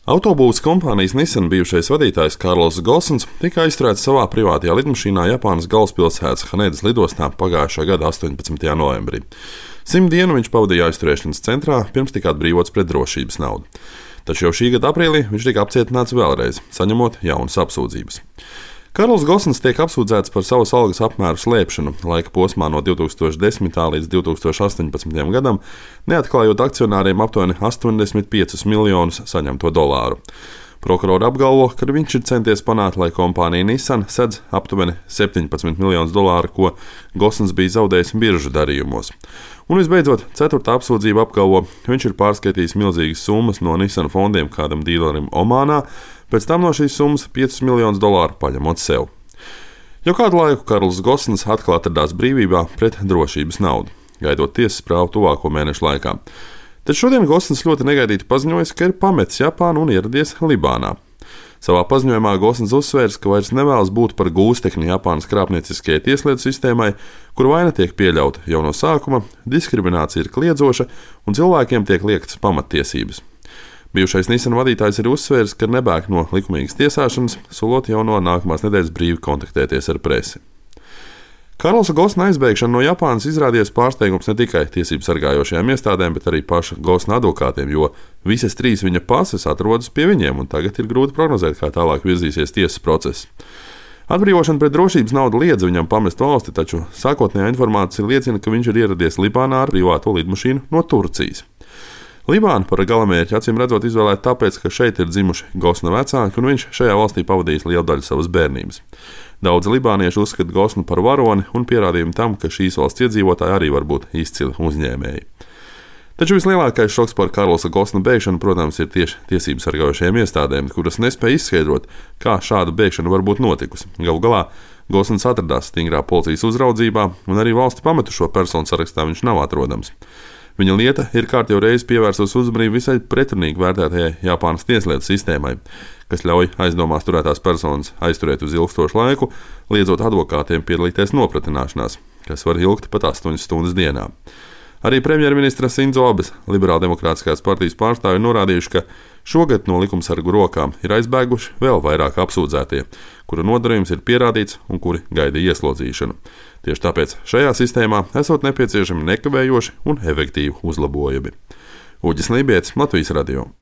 Autobūves kompānijas Nissan bijušais vadītājs Karls Gosens tika aizturēts savā privātajā lidmašīnā Japānas galvaspilsētas Hanedas lidostā pagājušā gada 18. novembrī. 100 dienu viņš pavadīja aizturēšanas centrā, pirms tika atbrīvots pret drošības naudu. Taču jau šī gada aprīlī viņš tika apcietināts vēlreiz, saņemot jaunas apsūdzības. Karls Gosens tiek apsūdzēts par savas algas apmēru slēpšanu laika posmā no 2010. līdz 2018. gadam, neatklājot akcionāriem aptuveni 85 miljonus saņemto dolāru. Prokurori apgalvo, ka viņš ir centies panākt, lai kompānija Nissan sedz aptuveni 17 miljonus dolāru, ko Gosens bija zaudējis biržu darījumos. Un visbeidzot, 4. apsūdzība apgalvo, ka viņš ir pārskaitījis milzīgas summas no Nissan fondiem kādam dīlerim Omānā, pēc tam no šīs summas 5 miljonus dolāru paņemot sev. Jau kādu laiku Karls Gosens atkal atradās brīvībā pret drošības naudu, gaidot tiesas prāvu tuvāko mēnešu laikā. Taču šodien Gosens ļoti negaidīti paziņojis, ka ir pametis Japānu un ieradies Libānā. Savā paziņojumā Gosens uzsvērs, ka vairs nevēlas būt par gūstekni Japānas krāpnieciskajai tieslietu sistēmai, kur vaina tiek pieļauta jau no sākuma, diskriminācija ir kliedzoša un cilvēkiem tiek liektas pamattiesības. Bijušais Nissan vadītājs ir uzsvērs, ka nebēg no likumīgas tiesāšanas, solot jau no nākamās nedēļas brīvi kontaktēties ar presi. Karlsa Gosena aizbēgšana no Japānas izrādījās pārsteigums ne tikai tiesību sargājošajām iestādēm, bet arī paša Gosena advokātiem, jo visas 3 viņa pases atrodas pie viņiem, un tagad ir grūti prognozēt, kā tālāk virzīsies tiesas process. Atbrīvošana pret drošības naudu liedz viņam pamest valsti, taču sākotnējā informācija liecina, ka viņš ir ieradies Libānā ar privāto lidmašīnu no Turcijas. Libānu par galamērķi acīm redzot izvēlēt tāpēc, ka šeit ir dzimuši Gosena vecāki, un viņš šajā valstī pavadījis lielu daļu savas bērnības. Daudzi libānieši uzskata Gosenu par varoni un pierādījumu tam, ka šīs valsts iedzīvotāji arī var būt izcili uzņēmēji. Taču vislielākais šoks par Karlsa Gosena bēgšanu, protams, ir tieši tiesību sargājošajām iestādēm, kuras nespēja izskaidrot, kā šāda bēgšana var būt notikusi. Galu galā Gosens atradās stingrā policijas uzraudzībā, un arī valsti pametušo personu sarakstā viņš nav atrodams. Viņa lieta ir kārtīgi reizi pievērsus uzmanību visai pretrunīgi vērtētajai Japānas tieslietu sistēmai, kas ļauj aizdomās turētās personas aizturēt uz ilgstošu laiku, liedzot advokātiem piedalīties nopratināšanās, kas var ilgt pat 8 stundas dienā. Arī premjerministra Sindzo Abes Liberāldemokrātiskās partijas pārstāvji norādījuši, ka šogad no likumsargu rokām ir aizbēguši vēl vairāk apsūdzētie, kuru nodarījums ir pierādīts un kuri gaida ieslodzīšanu. Tieši tāpēc šajā sistēmā esot nepieciešami nekavējoši un efektīvi uzlabojumi. Uģis Lībietis, Latvijas radio.